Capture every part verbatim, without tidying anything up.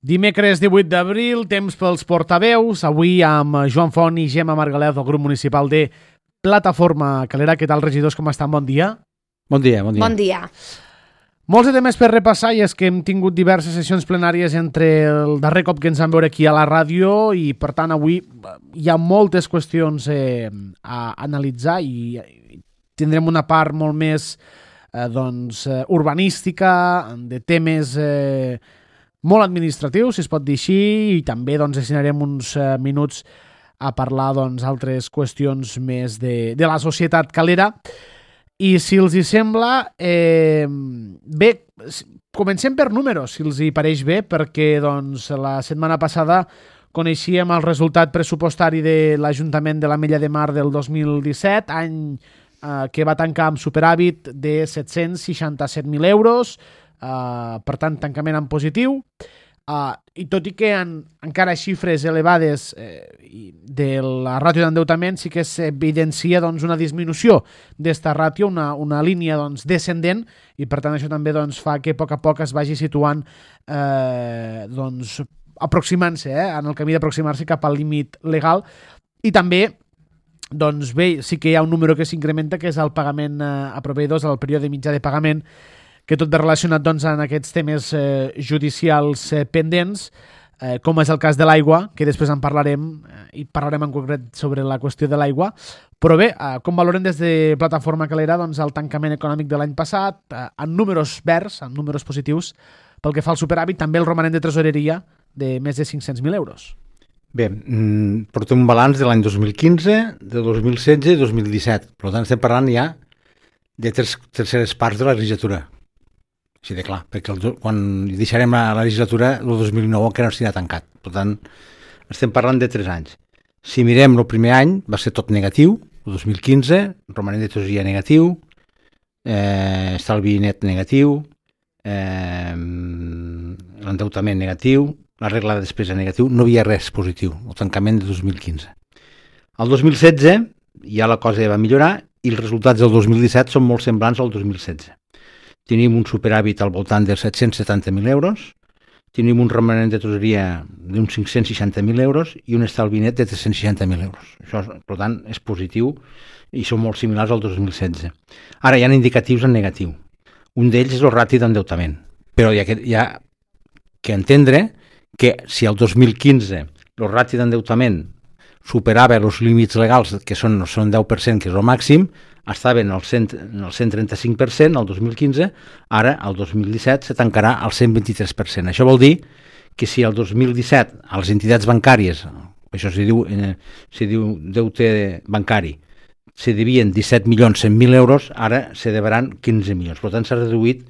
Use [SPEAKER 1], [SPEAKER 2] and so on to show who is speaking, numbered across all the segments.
[SPEAKER 1] Dimecres divuit d'abril, temps pels portaveus, avui amb Joan Font i Gemma Margalef del grup municipal de Plataforma Calera. Què tal, regidors, com estan? Bon dia.
[SPEAKER 2] Bon dia, bon dia.
[SPEAKER 3] Bon dia.
[SPEAKER 1] Molts de temes per repassar i és que hem tingut diverses sessions plenàries entre el darrer cop que ens vam veure aquí a la ràdio i, per tant, avui hi ha moltes qüestions eh, a analitzar i tindrem una part molt més eh, doncs, urbanística, de temes eh, molt administratius, si es pot dir així, i també doncs, destinarem uns eh, minuts a parlar doncs, altres qüestions més de, de la societat calera. I si els hi sembla, eh, bé, comencem per números, si els hi pareix bé, perquè doncs, la setmana passada coneixíem el resultat pressupostari de l'Ajuntament de l'Ametlla de Mar del dos mil disset, any eh, que va tancar amb superàvit de set-cents seixanta-set mil euros, Uh, per tant, tancament en positiu, uh, i tot i que en, encara xifres elevades eh, de la ràtio d'endeutament, sí que s'evidencia doncs, una disminució d'esta ràtio, una, una línia doncs, descendent, i per tant això també doncs, fa que a poc a poc es vagi situant eh, doncs, aproximant-se, eh, en el camí d'aproximar-se cap al límit legal. I també doncs, bé, sí que hi ha un número que s'incrementa, que és el pagament eh, a proveïdors, el període mitjà de pagament, que tot ve relacionat doncs, en aquests temes eh, judicials eh, pendents, eh, com és el cas de l'aigua, que després en parlarem, eh, i parlarem en concret sobre la qüestió de l'aigua. Però bé, eh, com valoren des de Plataforma Calera doncs, el tancament econòmic de l'any passat, eh, en números verds, en números positius, pel que fa al superàvit, també el romanent de tresoreria de més de cinc-cents mil euros.
[SPEAKER 2] Bé, mm, portem un balanç de l'any dos mil quinze, de dos mil setze i dos mil disset. Per tant, estem parlant ja de tres terceres parts de la legislatura. Sí, de clar, perquè el, quan deixarem la, la legislatura, el dos mil nou encara no estarà tancat. Per tant, estem parlant de tres anys. Si mirem el primer any, va ser tot negatiu, el dos mil quinze, romanent de tresoreria negatiu, eh, estalvi net negatiu, eh, l'endeutament negatiu, la regla de despesa negatiu, no hi havia res positiu, el tancament de dos mil quinze. El dos mil setze ja la cosa va millorar i els resultats del dos mil disset són molt semblants al dos mil setze. Tenim un superàvit al voltant dels set-cents setanta mil euros, tenim un romanent de tresoreria d'uns cinc-cents seixanta mil euros i un estalvi net de tres-cents seixanta mil euros. Això, per tant, és positiu i són molt similars al dos mil setze. Ara hi ha indicatius en negatiu. Un d'ells és el rati d'endeutament, però hi ha, que, hi ha que entendre que si el dos mil quinze el rati d'endeutament superava els límits legals, que són, són deu per cent, que és el màxim, estaven al cent, al cent trenta-cinc per cent el dos mil quinze, ara el dos mil disset se tancarà al cent vint-i-tres per cent. Això vol dir que si el dos mil disset a les entitats bancàries, això s'hi diu, eh, s'hi diu deute bancari, se devien disset milions cent mil euros, ara se deveran quinze milions. Per tant, s'ha reduït,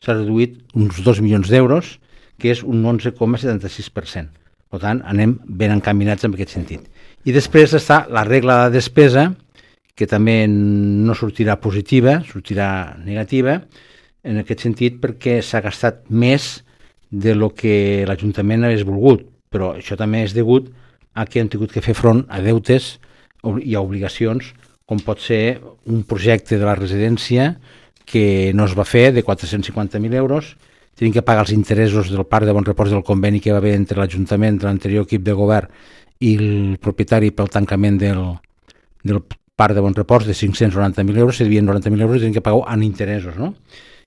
[SPEAKER 2] s'ha reduït uns dos milions d'euros, que és un onze coma setanta-sis per cent. Per tant, anem ben encaminats en aquest sentit. I després està la regla de despesa, que també no sortirà positiva, sortirà negativa, en aquest sentit perquè s'ha gastat més de lo que l'Ajuntament hagués volgut, però això també és degut a que hem tingut que fer front a deutes i a obligacions, com pot ser un projecte de la residència que no es va fer, de quatre-cents cinquanta mil euros, tenim que pagar els interessos del parc de bon repòs del conveni que va haver entre l'Ajuntament, l'anterior equip de govern i el propietari pel tancament del, del parc de bon repòs de cinc-cents noranta mil euros, se devien noranta mil euros i tenen que pagar en interessos, no?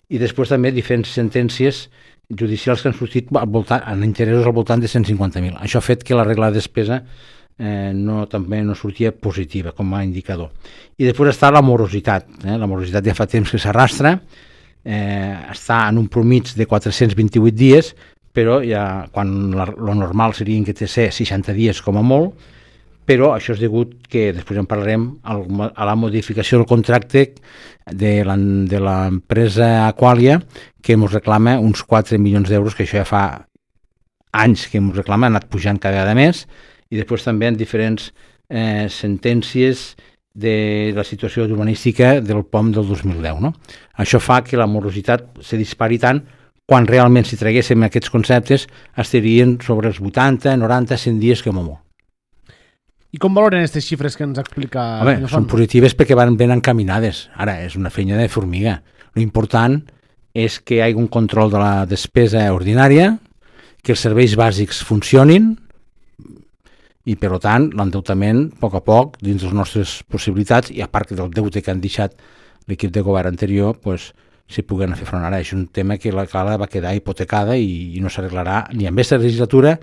[SPEAKER 2] I després també diferents sentències judicials que han sortit al voltant, en interessos al voltant de cent cinquanta mil. Això ha fet que la regla de despesa eh, no, també no sortia positiva com a indicador. I després està la morositat. Eh? La morositat ja fa temps que s'arrastra, eh, està en un promig de quatre-cents vint-i-vuit dies, però ja quan la, lo normal seria que té ser seixanta dies com a molt, però això és degut que, després en parlarem, a la modificació del contracte de l'empresa Aqualia, que ens reclama uns quatre milions d'euros, que això ja fa anys que ens reclama, ha anat pujant cada vegada més, i després també en diferents eh, sentències de la situació urbanística del P O M del dos mil deu. No? Això fa que la morositat se dispari tant, quan realment si traguéssim aquests conceptes estarien sobre els vuitanta, noranta, cent dies com a molt.
[SPEAKER 1] I com valoren aquestes xifres que ens explica?
[SPEAKER 2] Home, són positives perquè van ben encaminades. Ara, és una feina de formiga. L'important és que hi hagi un control de la despesa ordinària, que els serveis bàsics funcionin i, per tant, l'endeutament, a poc a poc, dins de les nostres possibilitats, i a part del deute que han deixat l'equip de govern anterior, pues, s'hi puguen fer front. Ara és un tema que la cala va quedar hipotecada i, i no s'arreglarà ni amb aquesta legislatura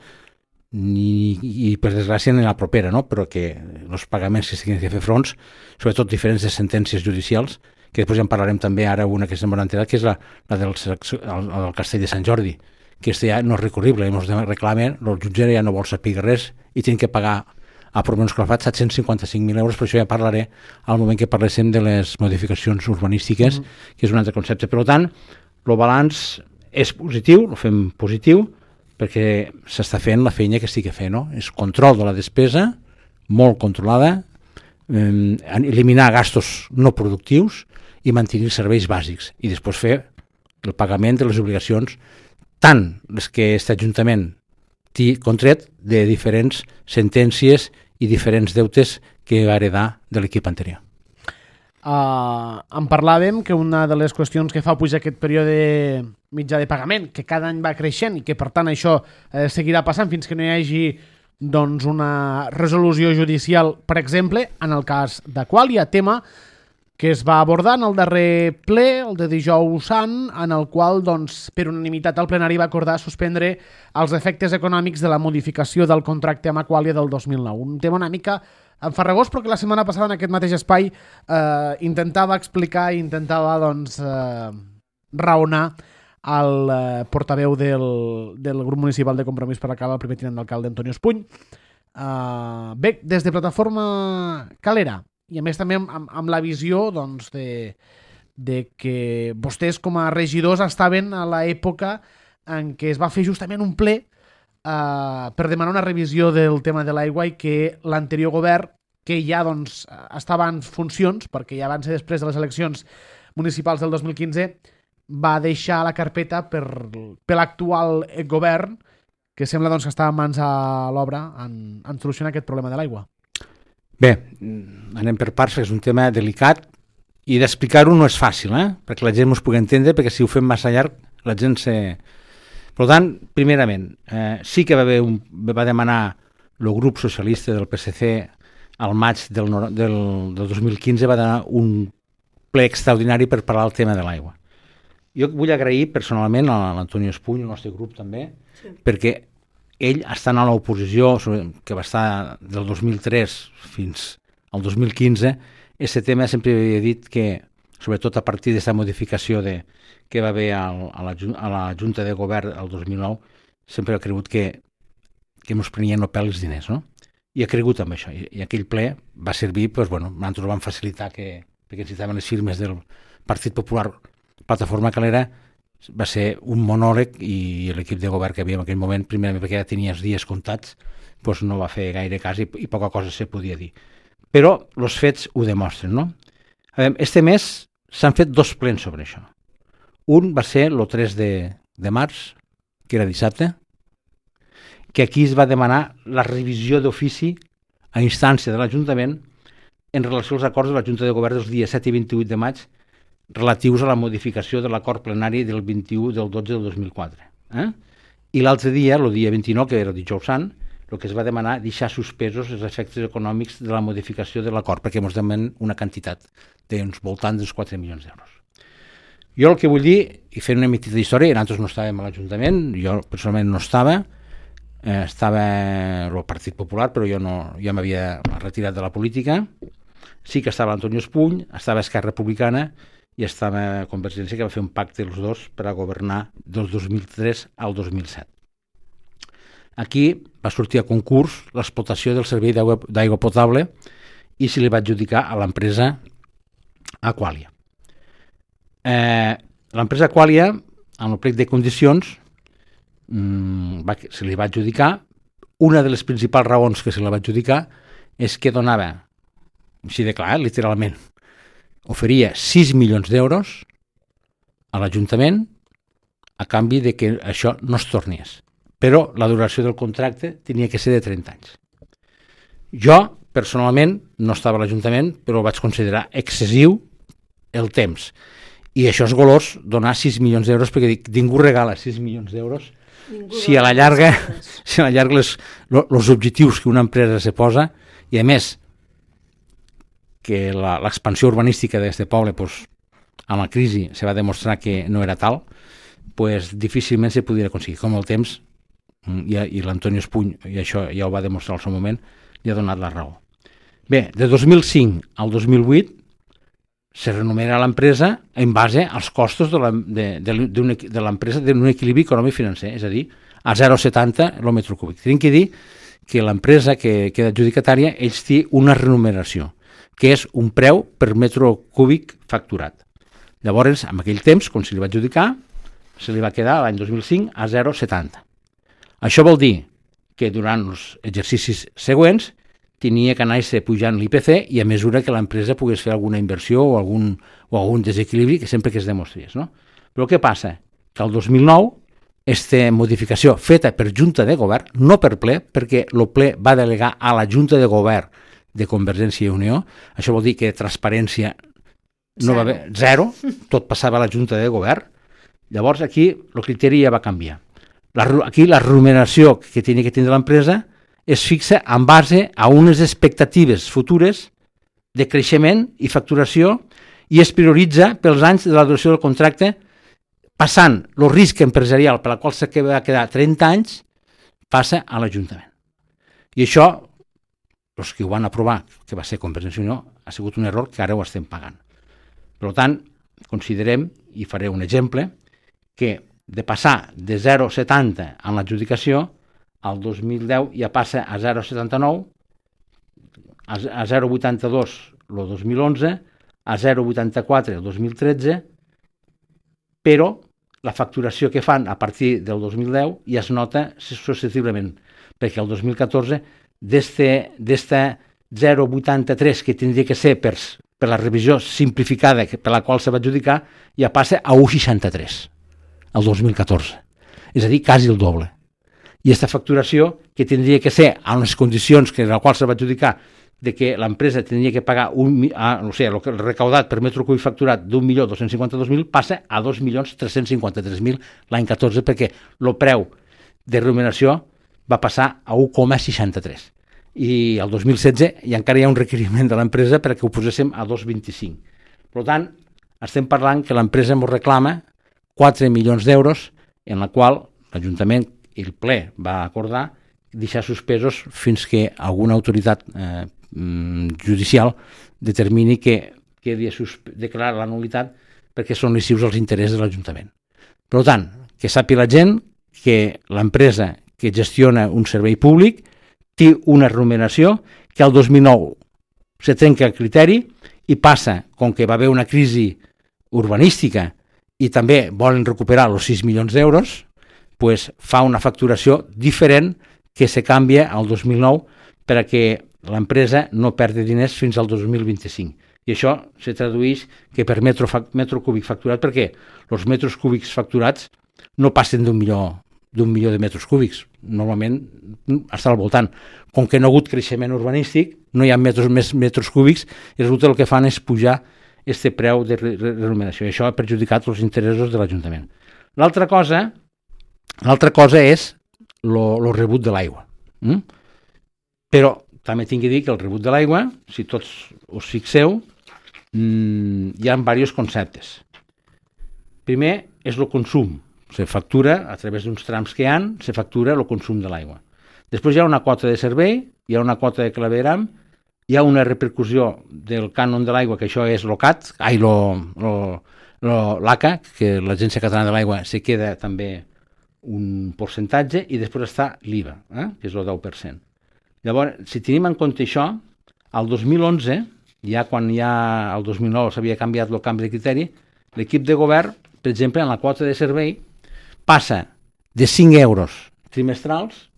[SPEAKER 2] ni, i per desgràcia ni la propera, no? Però que els pagaments que s'hagin de fer fronts, sobretot diferents de sentències judicials, que després ja en parlarem també ara una que se'n va enterar, que és la, la del, el, el Castell de Sant Jordi, que este ja no és recurrible, ens reclamen, el jutge ja no vol saber res i tenen que pagar a Provenç Calafat set-cents cinquanta-cinc mil euros, però això ja parlaré al moment que parléssim de les modificacions urbanístiques, mm. que és un altre concepte. Per tant, el balanç és positiu, el fem positiu, perquè s'està fent la feina que estic fent, no? És control de la despesa, molt controlada, eh, eliminar gastos no productius i mantenir serveis bàsics, i després fer el pagament de les obligacions, tant les que aquest Ajuntament té contret de diferents sentències i diferents deutes que va heredar de l'equip anterior.
[SPEAKER 1] Uh, en parlàvem que una de les qüestions que fa pujar aquest període mitjà de pagament, que cada any va creixent i que per tant això eh, seguirà passant fins que no hi hagi doncs, una resolució judicial, per exemple, en el cas d'Aquàlia, tema que es va abordar en el darrer ple, el de dijous sant, en el qual, doncs, per unanimitat el plenari va acordar suspendre els efectes econòmics de la modificació del contracte amb Aquàlia del dos mil nou. Un tema una mica enfarragós, però que la setmana passada en aquest mateix espai eh, intentava explicar i intentava, doncs, eh, raonar el eh, portaveu del, del grup municipal de Compromís per la Cala, el primer tinent d'alcalde Antonio Espuny. Eh, bé, des de Plataforma Calera, i a més també amb, amb, amb la visió doncs, de, de que vostès com a regidors estaven a l'època en què es va fer justament un ple eh, per demanar una revisió del tema de l'aigua i que l'anterior govern, que ja doncs, estava en funcions, perquè ja van ser després de les eleccions municipals del dos mil quinze, va deixar la carpeta per, per l'actual govern, que sembla doncs, que està en mans a l'obra en, en solucionar aquest problema de l'aigua.
[SPEAKER 2] Bé, anem per parts, és un tema delicat i d'explicar-ho no és fàcil, eh? Perquè la gent us pugui entendre, perquè si ho fem massa llarg la gent se... Per tant, primerament, eh, sí que va, haver un, va demanar el grup socialista del P S C al maig del, del, del dos mil quinze, va donar un ple extraordinari per parlar del tema de l'aigua. Jo vull agrair personalment a l'Antonio Espuny, el nostre grup també, sí. Perquè ell, estant a l'oposició, que va estar del dos mil tres fins al dos mil quinze, aquest tema sempre havia dit que, sobretot a partir d'aquesta modificació de, que va haver al, a, la, a la Junta de Govern el dos mil nou, sempre ha cregut que, que ens prenien el pèl els diners, no? I ha cregut amb això. I, i aquell ple va servir, doncs, bueno, nosaltres vam facilitar que, perquè necessitaven les firmes del Partit Popular, Plataforma Calera, va ser un monòleg i l'equip de govern que havia en aquell moment, primerament perquè ja tenia els dies comptats, doncs no va fer gaire cas i, i poca cosa se podia dir. Però els fets ho demostren, no? Este mes s'han fet dos plens sobre això. Un va ser el tres de, de març, que era dissabte, que aquí es va demanar la revisió d'ofici a instància de l'Ajuntament en relació als acords de la Junta de Govern dels dies set i vint-i-vuit de maig relatius a la modificació de l'acord plenari del vint-i-u del dotze del dos mil quatre. Eh? I l'altre dia, el dia vint-i-nou, que era dijous sant, el que es va demanar deixar suspesos els efectes econòmics de la modificació de l'acord, perquè ens demanen una quantitat d'uns voltants dels quatre milions d'euros. Jo el que vull dir, i fent una mitita d'història, nosaltres no estàvem a l'Ajuntament, jo personalment no estava, eh, estava el Partit Popular, però jo, no, jo m'havia retirat de la política, sí que estava Antonio Espuny, estava Esquerra Republicana, i estava Convergència, que va fer un pacte els dos per a governar del dos mil tres al dos mil set. Aquí va sortir a concurs l'explotació del servei d'aigua potable i se li va adjudicar a l'empresa Aquàlia. Eh, l'empresa Aquàlia, amb el plec de condicions, mmm, va, se li va adjudicar. Una de les principals raons que se li va adjudicar és que donava, així de clar, literalment, oferia sis milions d'euros a l'Ajuntament a canvi de que això no es tornés. Però la duració del contracte tenia que ser de trenta anys. Jo, personalment, no estava a l'Ajuntament, però vaig considerar excessiu el temps. I això és golós, donar sis milions d'euros, perquè dic, ningú regala sis milions d'euros si a la llarga, si a la llarga els los objectius que una empresa se posa, i a més que l'expansió urbanística d'aquest poble, pues, amb la crisi se va demostrar que no era tal, pues, difícilment se podria aconseguir. Com el temps, i, i l'Antonio Espuny, i això ja ho va demostrar al seu moment, li ha donat la raó. Bé, de dos mil cinc al dos mil vuit se renumera l'empresa en base als costos de l'empresa d'un equilibri econòmic-financer, és a dir, a zero coma setanta el metre cúbic. Tenim que dir que l'empresa que queda adjudicatària, ells té una remuneració, que és un preu per metre cúbic facturat. Llavors, en aquell temps, quan se li va adjudicar, se li va quedar l'any dos mil cinc a zero coma setanta. Això vol dir que durant els exercicis següents tenia que anar-se pujant l'I P C i a mesura que l'empresa pogués fer alguna inversió o algun, o algun desequilibri que sempre que es demostrés. No? Però què passa? Que el dos mil nou, aquesta modificació feta per Junta de Govern, no per ple, perquè el ple va delegar a la Junta de Govern de Convergència i Unió, això vol dir que transparència no va haver zero, tot passava a la Junta de Govern. Llavors aquí el criteri ja va canviar. La, aquí la remuneració que tenia que tindre l'empresa es fixa en base a unes expectatives futures de creixement i facturació i es prioritza pels anys de la duració del contracte, passant el risc empresarial per la qual se va quedar trenta anys, passa a l'Ajuntament. I això, els que ho van aprovar, que va ser Convergència i Unió, ha sigut un error que ara ho estem pagant. Per tant, considerem, i faré un exemple, que de passar de zero coma setanta en l'adjudicació, al dos mil deu ja passa a zero coma setanta-nou, a zero coma vuitanta-dos el dos mil onze, a zero coma vuitanta-quatre el dos mil tretze, però la facturació que fan a partir del dos mil deu ja es nota successivament, perquè el dos mil catorze, d'esta zero coma vuitanta-tres que tindria que ser per, per la revisió simplificada per la qual se va adjudicar, ja passa a un coma seixanta-tres el dos mil catorze, és a dir, quasi el doble. I aquesta facturació, que tindria que ser a unes condicions que en la qual se va adjudicar de que l'empresa tindria que pagar un, ah, no sé, el recaudat per metre cúbic facturat d'un milió dos-cents cinquanta-dos mil passa a dos milions tres-cents cinquanta-tres mil l'any catorze, perquè el preu de remuneració va passar a un coma seixanta-tres. I el dos mil setze i encara hi ha un requeriment de l'empresa perquè ho poséssim a dos coma vint-i-cinc. Per tant, estem parlant que l'empresa ens reclama quatre milions d'euros, en la qual l'Ajuntament i el ple va acordar deixar suspesos fins que alguna autoritat eh, judicial determini que quedi declarar la nul·litat perquè són lesius als interessos de l'Ajuntament. Per tant, que sàpiga la gent que l'empresa que gestiona un servei públic té una remuneració que al dos mil nou se trenca el criteri i passa, com que va haver una crisi urbanística i també volen recuperar els sis milions d'euros, pues fa una facturació diferent que se canvia al dos mil nou perquè l'empresa no perdi diners fins al dos mil vint-i-cinc. I això se tradueix que per metro, metro cúbic facturat, perquè els metres cúbics facturats no passen d'un milió, d'un milió de metres cúbics. Normalment està al voltant. Com que no ha hagut creixement urbanístic, no hi ha metres, més metres cúbics, i resulta el que fan és pujar este preu de remuneració. I això ha perjudicat els interessos de l'Ajuntament. L'altra cosa, l'altra cosa és el rebut de l'aigua. Mm? Però també tinc que dir que el rebut de l'aigua, si tots us fixeu, mmm, hi ha diversos conceptes. Primer és el consum. Se factura, a través d'uns trams que hi ha, se factura el consum de l'aigua. Després hi ha una quota de servei, hi ha una quota de clavegram, hi ha una repercussió del cànon de l'aigua, que això és l'O C A T, ai, l'A C A, que l'Agència Catalana de l'Aigua se queda també un percentatge, i després està l'I V A, eh? que és el deu per cent. Llavors, si tenim en compte això, al dos mil onze, ja quan ja el dos mil nou s'havia canviat el canvi de criteri, l'equip de govern, per exemple, en la quota de servei, passa de cinc euros trimestrals,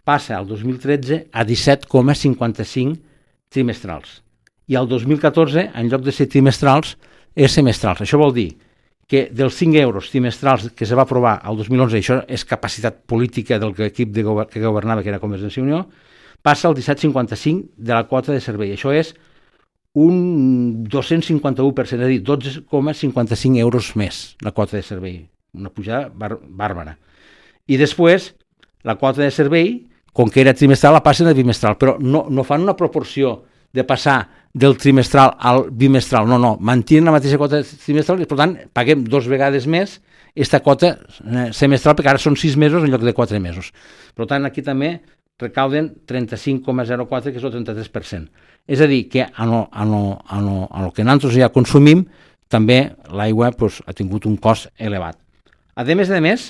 [SPEAKER 2] passa al dos mil tretze a disset coma cinquanta-cinc trimestrals. I al dos mil catorze, en lloc de ser trimestrals, és semestrals. Això vol dir que dels cinc euros trimestrals que se va aprovar al dos mil onze, això és capacitat política del equip de govern, que governava, que era Convergència i Unió, passa al disset coma cinquanta-cinc de la quota de servei. Això és un dos-cents cinquanta-u per cent, és a dir, dotze coma cinquanta-cinc euros més la quota de servei. Una pujada bar- bàrbara. I després, la quota de servei, com que era trimestral, la passen a bimestral, però no, no fan una proporció de passar del trimestral al bimestral, no, no, mantenen la mateixa quota trimestral i, per tant, paguem dos vegades més aquesta quota semestral, perquè ara són sis mesos en lloc de quatre mesos. Per tant, aquí també recauden trenta-cinc coma zero quatre, que és el trenta-tres per cent. És a dir, que a lo, a lo, a lo, a lo que nosaltres ja consumim, també l'aigua pues, ha tingut un cost elevat. A més a més,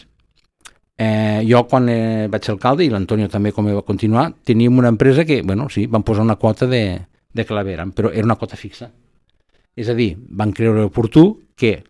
[SPEAKER 2] eh, jo quan eh, vaig ser alcalde, i l'Antonio també com va continuar, teníem una empresa que, bueno, sí, van posar una quota de, de claveram, però era una quota fixa. És a dir, van creure oportú que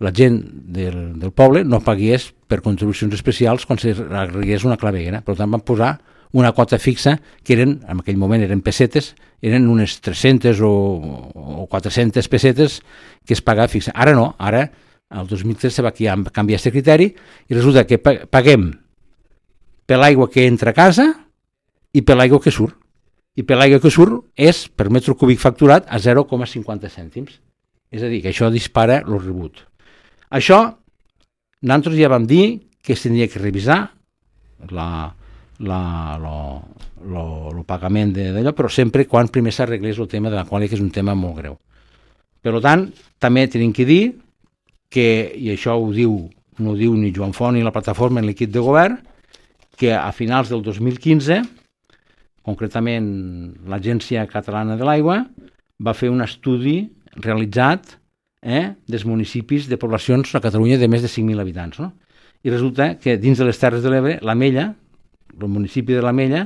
[SPEAKER 2] la gent del, del poble no pagués per contribucions especials quan s'arreglés una claveguera. Per tant, van posar una quota fixa que eren, en aquell moment eren pessetes, eren unes tres-centes o, o quatre-centes pessetes que es pagava fixa. Ara no, ara, el dos mil tres se va canviar aquest criteri i resulta que paguem per l'aigua que entra a casa i per l'aigua que surt. I per l'aigua que surt és per metre cúbic facturat a zero coma cinquanta cèntims. És a dir, que això dispara el rebut. Això, nosaltres ja vam dir que es tindria que revisar la, la, lo, lo, lo pagament d'allò, però sempre quan primer s'arreglés el tema de la qualitat, que és un tema molt greu. Per tant, també tenim que dir que, i això ho diu, no ho diu ni Joan Font ni la plataforma en l'equip de govern, que a finals del dos mil quinze, concretament l'Agència Catalana de l'Aigua, va fer un estudi realitzat eh, dels municipis de poblacions a Catalunya de més de cinc mil habitants. No? I resulta que dins de les Terres de l'Ebre, l'Amella, el municipi de l'Amella,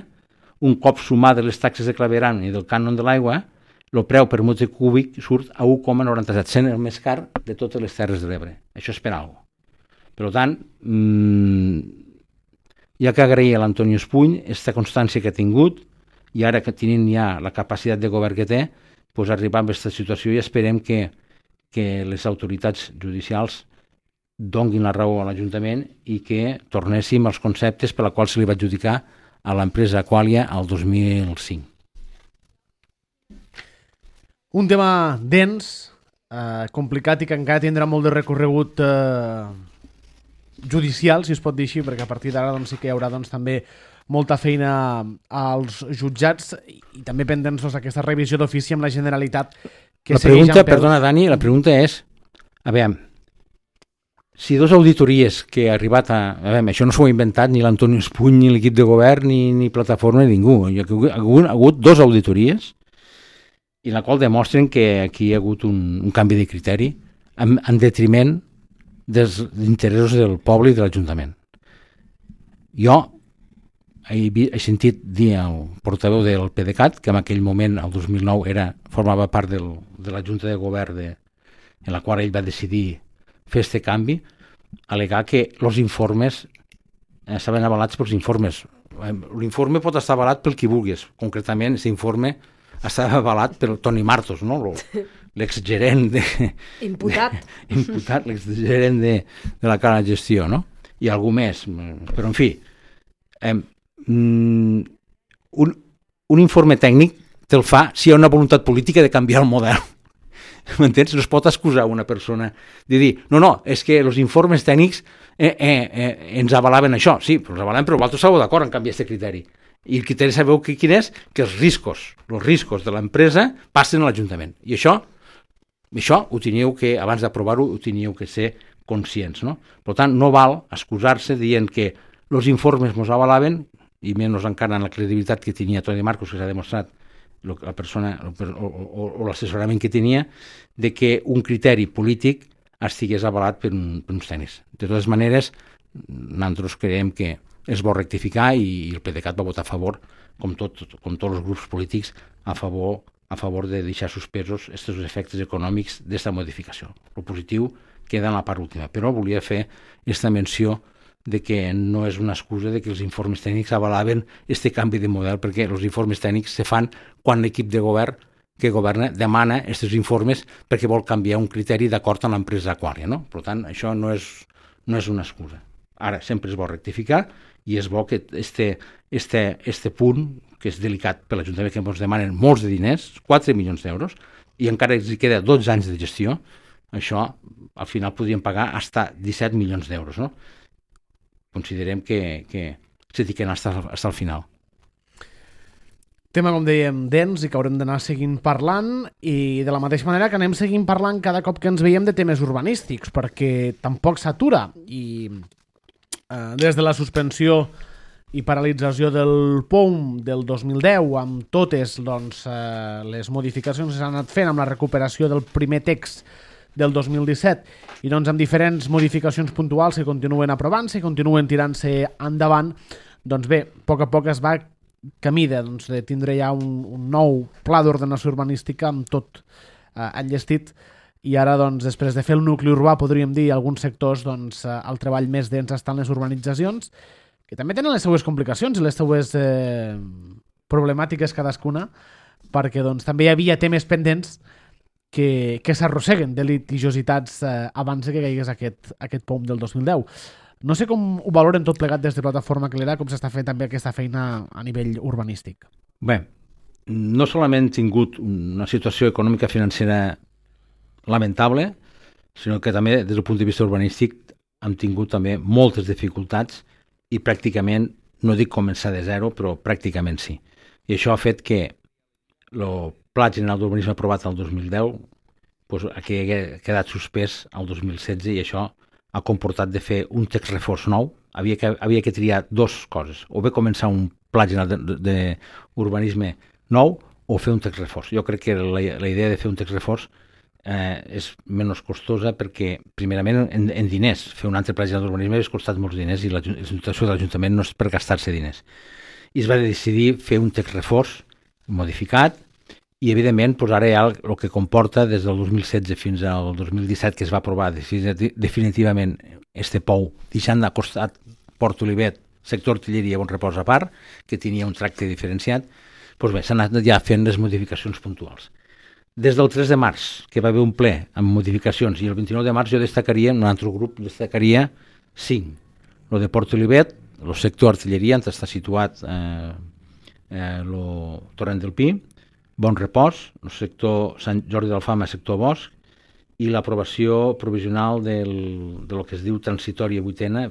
[SPEAKER 2] un cop sumat de les taxes de claveram i del cànon de l'aigua, el preu per metre cúbic surt a u coma noranta-set, sent el més car de totes les Terres de l'Ebre. Això és per alguna cosa. Per tant, mmm, hi ha que agrair a l'Antonio Espuny aquesta constància que ha tingut i ara que tenint ja la capacitat de govern que té, pues arribar a aquesta situació i esperem que, que les autoritats judicials donguin la raó a l'Ajuntament i que tornéssim als conceptes per la qual se li va adjudicar a l'empresa Aqualia al dos mil cinc.
[SPEAKER 1] Un tema dens, eh, complicat i que encara tindrà molt de recorregut eh, judicial, si es pot dir així, perquè a partir d'ara doncs, sí que hi haurà doncs, també molta feina als jutjats i, i també pendents doncs, aquesta revisió d'ofici amb la Generalitat. Que
[SPEAKER 2] la pregunta, perdona Dani, la pregunta és, a veure, si dos auditories que ha arribat a... A veure, això no s'ho ha inventat ni l'Antonio Espuny, ni l'equip de govern, ni, ni plataforma, ni ningú. Hi ha hagut, ha hagut dos auditories i en la qual demostren que aquí hi ha hagut un, un canvi de criteri en, en detriment dels interessos del poble i de l'Ajuntament. Jo he, he sentit dir al portaveu del PDeCAT, que en aquell moment, el dos mil nou, era, formava part del, de la Junta de Govern de, en la qual ell va decidir fer aquest canvi, al·legar que els informes eh, estaven avalats pels informes. L'informe pot estar avalat pel qui vulguis. Concretament, aquest informe estava avalat per Toni Martos, no? L'exgerent de...
[SPEAKER 3] Imputat.
[SPEAKER 2] De, imputat, l'exgerent de, de la cara de gestió, no? I algú més. Però, en fi, eh, un, un informe tècnic te'l fa si hi ha una voluntat política de canviar el model. M'entens? No es pot excusar una persona de dir, no, no, és que els informes tècnics eh, eh, eh, ens avalaven això. Sí, però els avalaven, però vosaltres estàveu d'acord en canviar aquest criteri. I el criteri sabeu que, quin és? Que els riscos, els riscos de l'empresa passen a l'Ajuntament. I això, això ho teníeu que, abans d'aprovar-ho, ho teníeu que ser conscients, no? Per tant, no val excusar-se dient que els informes mos avalaven, i menys encara en la credibilitat que tenia Toni Marcos, que s'ha demostrat la persona o, o, o l'assessorament que tenia, de que un criteri polític estigués avalat per, un, per uns tècnics. De totes maneres, nosaltres creiem que es vol rectificar i el PDeCAT va votar a favor, com, tot, com tots els grups polítics, a favor, a favor de deixar suspesos aquests efectes econòmics d'aquesta modificació. El positiu queda en la part última, però volia fer aquesta menció de que no és una excusa de que els informes tècnics avalaven aquest canvi de model, perquè els informes tècnics se fan quan l'equip de govern que governa demana aquests informes perquè vol canviar un criteri d'acord amb l'empresa Aqualia, no? Per tant, això no és, no és una excusa. Ara, sempre es vol rectificar i és bo que este, este, este punt, que és delicat per l'Ajuntament, que ens demanen molts de diners, quatre milions d'euros, i encara els queda dotze anys de gestió, això al final podríem pagar fins a disset milions d'euros, no? considerem que, que se tiquen fins al final.
[SPEAKER 1] Tema, com dèiem, dens i que haurem d'anar seguint parlant, i de la mateixa manera que anem seguint parlant cada cop que ens veiem de temes urbanístics, perquè tampoc s'atura, i eh, des de la suspensió i paralització del P O M del dos mil deu, amb totes doncs, eh, les modificacions que s'han anat fent, amb la recuperació del primer text del dos mil disset, i doncs amb diferents modificacions puntuals que continuen aprovant-se i continuen tirant-se endavant, doncs bé, a poc a poc es va camí de, doncs, de tindre ja un, un nou pla d'ordenació urbanística amb tot eh, enllestit, i ara, doncs, després de fer el nucli urbà, podríem dir, alguns sectors, doncs, eh, el treball més dens estan les urbanitzacions, que també tenen les seues complicacions i les seues eh, problemàtiques cadascuna, perquè doncs, també hi havia temes pendents que, que s'arrosseguen de litigiositats eh, abans que caigués aquest, aquest P O M del dos mil deu. No sé com ho valoren tot plegat des de Plataforma Calera, com s'està fent també aquesta feina a nivell urbanístic.
[SPEAKER 2] Bé, no solament hem tingut una situació econòmica financera lamentable, sinó que també des del punt de vista urbanístic hem tingut també moltes dificultats i pràcticament, no dic començar de zero, però pràcticament sí. I això ha fet que el Pla General d'Urbanisme aprovat el dos mil deu doncs, ha quedat suspès el dos mil setze, i això ha comportat de fer un text reforç nou. Havia que, havia que triar dues coses, o bé començar un pla general d'urbanisme nou o fer un text reforç. Jo crec que la, la idea de fer un text reforç eh, és menys costosa perquè, primerament, en, en diners. Fer un altre pla general d'urbanisme ha costat molts diners i la situació de l'Ajuntament no és per gastar-se diners. I es va decidir fer un text reforç modificat, i evidentment doncs ara ja el, el que comporta des del dos mil setze fins al dos mil disset, que es va aprovar definitivament este P O U, deixant de costat Port Olivet, sector artilleria, bon repòs a part, que tenia un tracte diferenciat, doncs bé, s'han anat ja fent les modificacions puntuals. Des del tres de març, que va haver un ple amb modificacions, i el vint-i-nou de març jo destacaria, en un altre grup destacaria cinc. El de Port Olivet, el sector artilleria, on està situat eh, eh, el Torrent del Pi, Bon Repòs, el sector Sant Jordi d'Alfama, sector Bosc, i l'aprovació provisional del, de lo que es diu transitòria vuitena,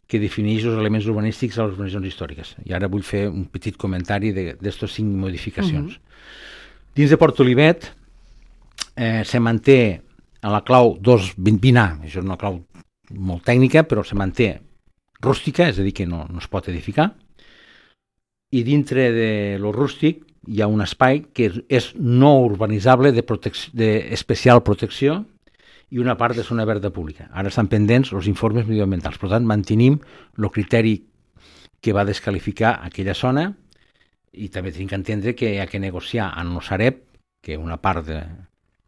[SPEAKER 2] que defineix els elements urbanístics a les urbanitzacions històriques. I ara vull fer un petit comentari d'aquestes cinc modificacions. Uh-huh. Dins de Port Olivet eh, se manté a la clau dos vint A, això és una clau molt tècnica, però se manté rústica, és a dir, que no, no es pot edificar, i dintre de lo rústic hi ha un espai que és no urbanitzable d'especial protecció i una part de zona verda pública. Ara estan pendents els informes mediambientals. Per tant, mantenim el criteri que va descalificar aquella zona, i també tenim que entendre que hi ha que negociar amb el Sareb, que una part de...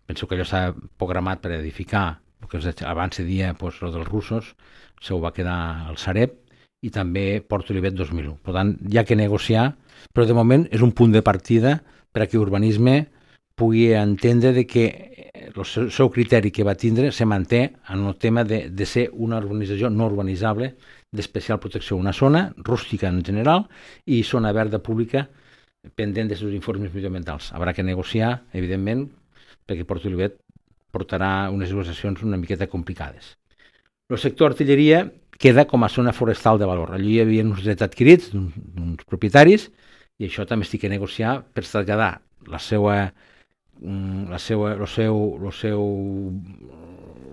[SPEAKER 2] Penso que allò s'ha programat per edificar, perquè abans se dia doncs, el dels russos, se ho va quedar al Sareb, i també Port Olivet dos mil u. Per tant, hi ha que negociar, però de moment és un punt de partida per a que urbanisme pugui entendre de que el seu, seu criteri que va tindre se manté en el tema de, de ser una urbanització no urbanitzable d'especial protecció, una zona rústica en general i zona verda pública pendent dels informes mediambientals. Haurà que negociar, evidentment, perquè Port Olivet portarà unes negociacions una miqueta complicades. El sector artilleria queda com a zona forestal de valor. Allí hi havia uns drets adquirits d'uns propietaris, i això també estic a negociar per traslladar la seva, la seva, el, seu, el, seu,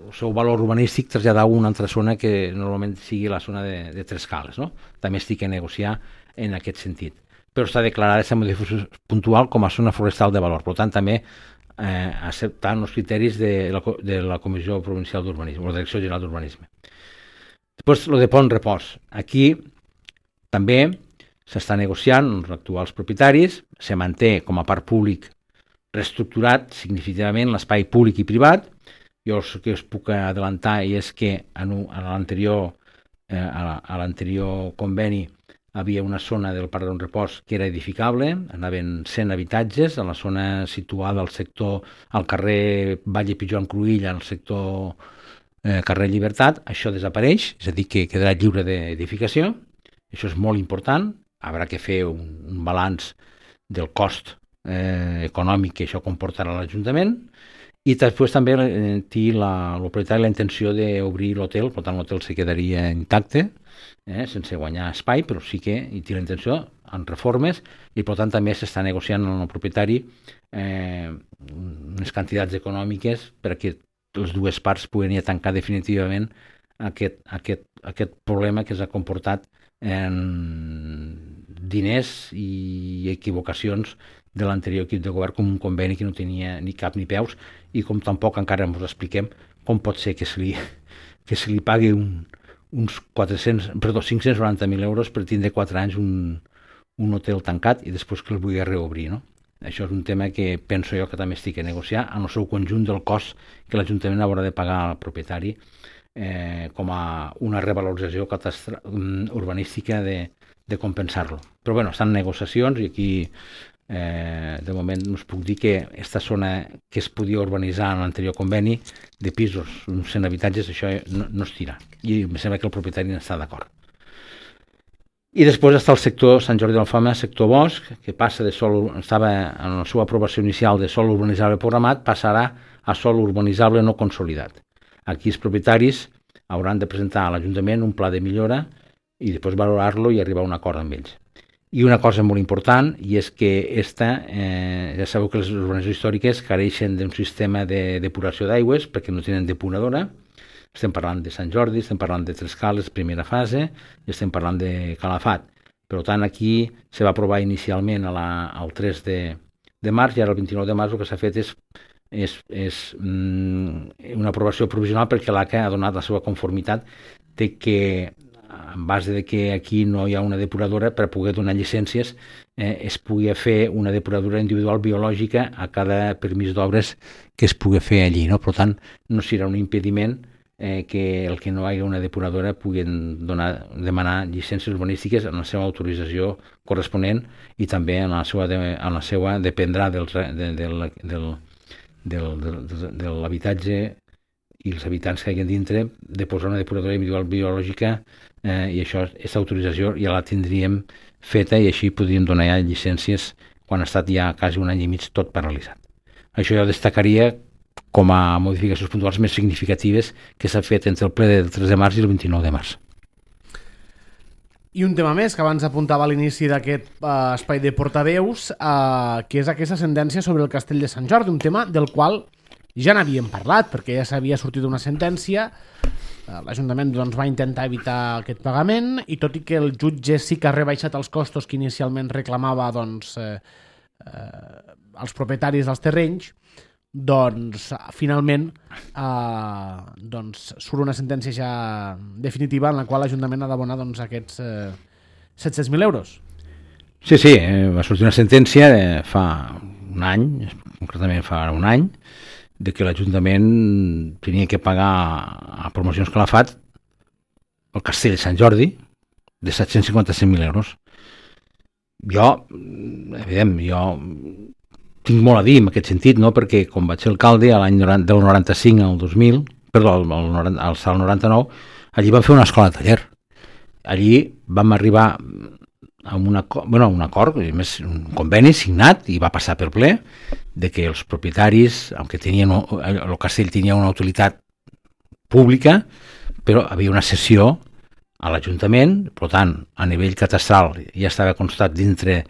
[SPEAKER 2] el seu valor urbanístic, traslladar a una altra zona que normalment sigui la zona de, de Tres Cales. No? També estic a negociar en aquest sentit. Però està declarada aquesta modificació puntual com a zona forestal de valor. Per tant, també eh, acceptant els criteris de la, de la Comissió Provincial d'Urbanisme, o la Direcció General d'Urbanisme. Després, el de Pont Repòs. Aquí també s'està negociant amb els actuals propietaris, se manté com a parc públic reestructurat significativament l'espai públic i privat. Jo el que us puc adelantar és que en l'anterior eh, a l'anterior conveni havia una zona del Parc d'un Repòs que era edificable, anaven cent habitatges a la zona situada al sector, al carrer Valle Pijuan Cruïlla, al sector eh, carrer Llibertat. Això desapareix, és a dir, que quedarà lliure d'edificació. Això és molt important. Haurà que fer un, un balanç del cost eh, econòmic que això comportarà a l'Ajuntament, i després també eh, té la, el propietari la intenció d'obrir l'hotel, per tant l'hotel se quedaria intacte, eh, sense guanyar espai, però sí que hi té la intenció en reformes i per tant també s'està negociant amb el propietari eh, unes quantitats econòmiques perquè les dues parts puguen ja tancar definitivament aquest, aquest, aquest problema que s'ha comportat en diners i equivocacions de l'anterior equip de govern, com un conveni que no tenia ni cap ni peus i com tampoc encara ens expliquem com pot ser que se li, que se li pagui un, uns quatre-cents, perdó, cinc-cents noranta mil euros per tindre quatre anys un, un hotel tancat i després que el vulgui reobrir, no? Això és un tema que penso jo que també estic a negociar en el seu conjunt del cost que l'Ajuntament haurà de pagar al propietari eh, com a una revalorització catastra- urbanística de, de compensar-lo. Però bueno, estan negociacions i aquí eh, de moment us puc dir que aquesta zona que es podia urbanitzar en l'anterior conveni de pisos, uns cent habitatges, això no, no es tira. I em sembla que el propietari n'està d'acord. I després està el sector Sant Jordi d'Alfama, sector bosc, que passa de sol, estava en la seva aprovació inicial de sol urbanitzable programat, passarà a sol urbanitzable no consolidat. Aquí els propietaris hauran de presentar a l'Ajuntament un pla de millora i després valorar-lo i arribar a un acord amb ells. I una cosa molt important, i és que esta, eh, ja sabeu que les urbanitzacions històriques careixen d'un sistema de depuració d'aigües perquè no tenen depuradora. Estem parlant de Sant Jordi, estem parlant de Tres Cales, primera fase, i estem parlant de Calafat. Per tant, aquí se va aprovar inicialment a la, al tres de, de març i ara el vint-i-nou de març el que s'ha fet és, és, és mm, una aprovació provisional perquè l'A C A ha donat la seva conformitat de que, en base de que aquí no hi ha una depuradora, per poder donar llicències eh, es pugui fer una depuradora individual biològica a cada permís d'obres que es pugui fer allí. No? Per tant, no serà un impediment Eh, que el que no hi hagi una depuradora puguin donar, demanar llicències urbanístiques en la seva autorització corresponent i també en la seva, de, en la seva dependrà del, de, del, del, del, del, de l'habitatge i els habitants que hi ha dintre de posar una depuradora individual biològica eh, i això, aquesta autorització ja la tindríem feta i així podríem donar ja llicències quan ha estat ja quasi un any i mig tot paralitzat. Això jo destacaria com a modificacions puntuals més significatives que s'ha fet entre el ple del tres de març i el vint-i-nou de març.
[SPEAKER 1] I un tema més que abans apuntava a l'inici d'aquest uh, espai de portaveus, uh, que és aquesta sentència sobre el castell de Sant Jordi, un tema del qual ja n'havíem parlat, perquè ja s'havia sortit una sentència, uh, l'Ajuntament doncs, va intentar evitar aquest pagament, i tot i que el jutge sí que ha rebaixat els costos que inicialment reclamava doncs, eh, eh, als propietaris dels terrenys, doncs finalment eh, doncs, surt una sentència ja definitiva en la qual l'Ajuntament ha d'abonar doncs, aquests eh, set-cents mil euros.
[SPEAKER 2] Sí, sí, eh, va sortir una sentència de fa un any, concretament fa un any, de que l'Ajuntament tenia que pagar a Promocions Calafat el castell de Sant Jordi de set-cents cinquanta-cinc mil euros. Jo, evident, jo tinc molt a dir en aquest sentit, no? Perquè com vaig ser alcalde a l'any del noranta-cinc al dos mil, perdó, al, al, al noranta-nou, allí vam fer una escola de taller. Allí vam arribar a un acord, bueno, un acord, més un conveni signat i va passar per ple de que els propietaris, aunque tenien, el castell tenia una utilitat pública, però havia una cessió a l'Ajuntament, per tant, a nivell catastral ja estava constat dintre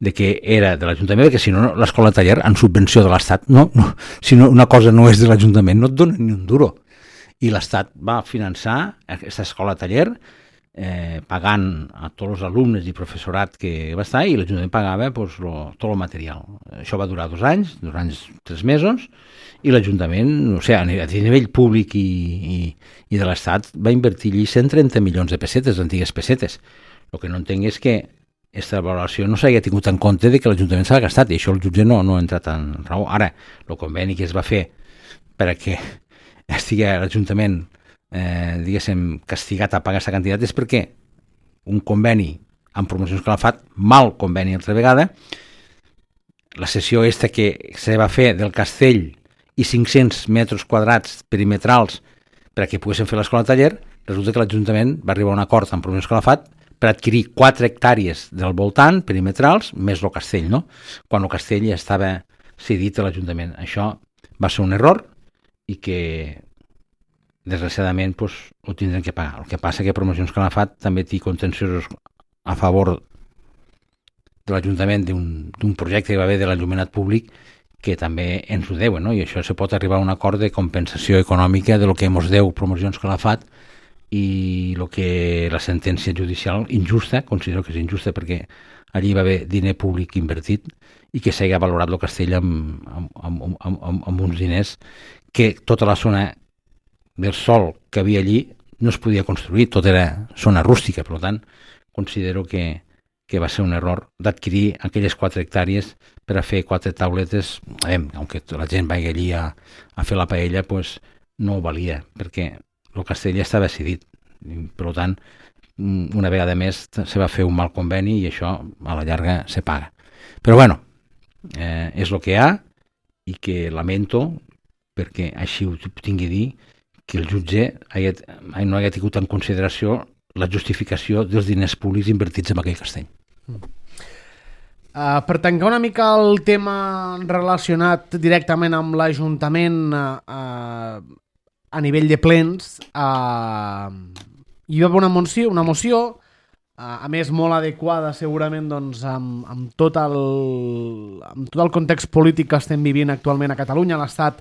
[SPEAKER 2] de que era de l'Ajuntament, perquè si no, l'escola de taller en subvenció de l'Estat, no, no, si no, una cosa no és de l'Ajuntament, no et dona ni un duro. I l'Estat va finançar aquesta escola de taller eh, pagant a tots els alumnes i professorat que va estar i l'Ajuntament pagava pues, lo, tot el material. Això va durar dos anys, dos anys, tres mesos, i l'Ajuntament, o sigui, a nivell públic i, i, i de l'Estat va invertir allí cent trenta milions de pessetes, antigues pessetes. El que no entenc és que aquesta valoració no s'hagi tingut en compte de que l'Ajuntament s'ha gastat, i això el jutge no, no ha entrat en raó. Ara, el conveni que es va fer perquè estigui l'Ajuntament eh, diguéssim, castigat a pagar aquesta quantitat és perquè un conveni amb Promocions Calafat, mal conveni altra vegada, la sessió aquesta que se va fer del castell i cinc-cents metres quadrats perimetrals perquè poguessin fer l'escola de taller, resulta que l'Ajuntament va arribar a un acord amb Promocions Calafat per adquirir quatre hectàrees del voltant, perimetrals, més el castell, no? Quan el castell ja estava cedit a l'Ajuntament. Això va ser un error i que desgraciadament, pues, ho tindrem que pagar. El que passa que Promocions Calafat també té contenciosos a favor de l'Ajuntament d'un projecte que va haver de l'enllumenat públic que també ens ho deuen, no? I això se pot arribar a un acord de compensació econòmica de lo que ens deu Promocions Calafat i el que la sentència judicial injusta, considero que és injusta perquè allí va haver diner públic invertit i que s'hagi valorat el castell amb, amb, amb, amb, amb, amb uns diners que tota la zona del sòl que havia allí no es podia construir, tot era zona rústica, per tant, considero que, que va ser un error d'adquirir aquelles quatre hectàrees per a fer quatre tauletes, eh, aunque la gent vagi allí a, a fer la paella, pues, no ho valia, perquè el castell ja estava decidit. Per tant, una vegada més se va fer un mal conveni i això a la llarga se paga. Però bueno, eh, és el que hi ha i que lamento, perquè així ho tingui a dir, que el jutge hagi, no hagi tingut en consideració la justificació dels diners públics invertits en aquell castell.
[SPEAKER 1] Mm. Uh, per tancar una mica el tema relacionat directament amb l'Ajuntament uh, a nivell de plens, uh, hi va haver una moció, una moció uh, a més molt adequada segurament doncs, amb, amb, tot el, amb tot el context polític que estem vivint actualment a Catalunya, a l'Estat,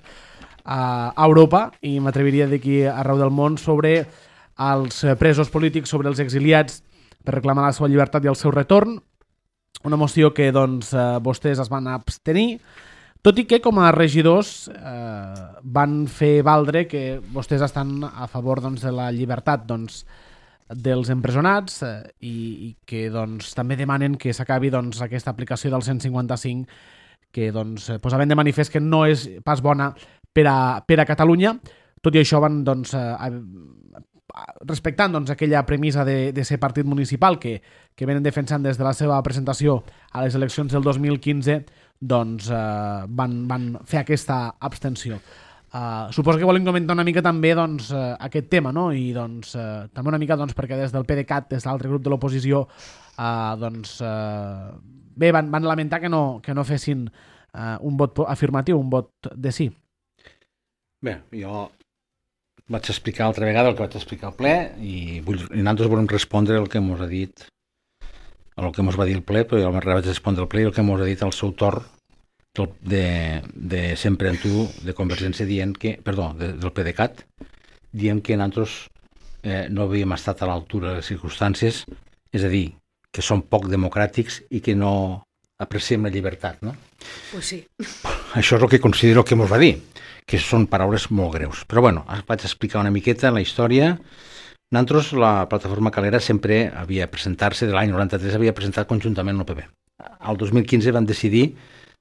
[SPEAKER 1] uh, a Europa, i m'atreviria d'aquí arreu del món, sobre els presos polítics, sobre els exiliats, per reclamar la seva llibertat i el seu retorn. Una moció que doncs, eh, vostès es van abstenir, tot i que com a regidors eh, van fer valdre que vostès estan a favor doncs, de la llibertat doncs, dels empresonats eh, i, i que doncs, també demanen que s'acabi doncs, aquesta aplicació del cent cinquanta-cinc que doncs, posaven de manifest que no és pas bona per a, per a Catalunya. Tot i això van doncs, eh, respectant doncs, aquella premissa de, de ser partit municipal que, que venen defensant des de la seva presentació a les eleccions del dos mil quinze, doncs eh, van, van fer aquesta abstenció. Uh, suposo que volen comentar una mica també doncs, uh, aquest tema, no? I doncs, uh, també una mica doncs, perquè des del PDeCAT, des de l'altre grup de l'oposició, uh, doncs, uh, bé, van, van lamentar que no, que no fessin uh, un vot afirmatiu, un vot de sí.
[SPEAKER 2] Bé, jo vaig explicar altra vegada el que vaig explicar al ple i, vull, i nosaltres volem respondre el que ens ha dit el que ens va dir el ple, però jo vaig respondre al ple i el que ens ha dit al seu torn de, de Sempre en Tu de Convergència dient que, perdó, de, del PDeCAT, dient que nosaltres eh, no havíem estat a l'altura de les circumstàncies, és a dir, que som poc democràtics i que no apreciem la llibertat, no?
[SPEAKER 3] Pues sí.
[SPEAKER 2] Això és el que considero que ens va dir, que són paraules molt greus. Però bueno, vaig explicar una miqueta la història. Nosaltres, la plataforma Calera, sempre havia presentat-se, de l'any noranta-tres, havia presentat conjuntament el P P. Al dos mil quinze van decidir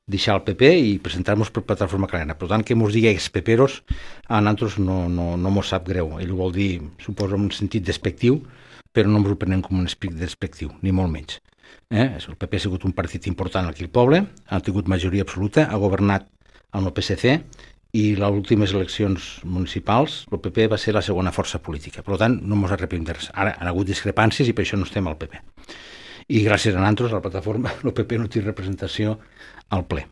[SPEAKER 2] deixar el P P i presentar-nos per plataforma Calera. Per tant, que ens digui ex-peperos, a nosaltres no, no, no mos sap greu. Ell ho vol dir, suposo, en un sentit despectiu, però no ens ho prenem com un esprit despectiu, ni molt menys. Eh? El P P ha sigut un partit important aquí al poble, ha tingut majoria absoluta, ha governat amb el P S C, i les últimes eleccions municipals el P P va ser la segona força política. Per tant, no ens arrepentem de res. Ara han hagut discrepàncies i per això no estem al P P. I gràcies a nosaltres, a la plataforma, el P P no té representació al ple.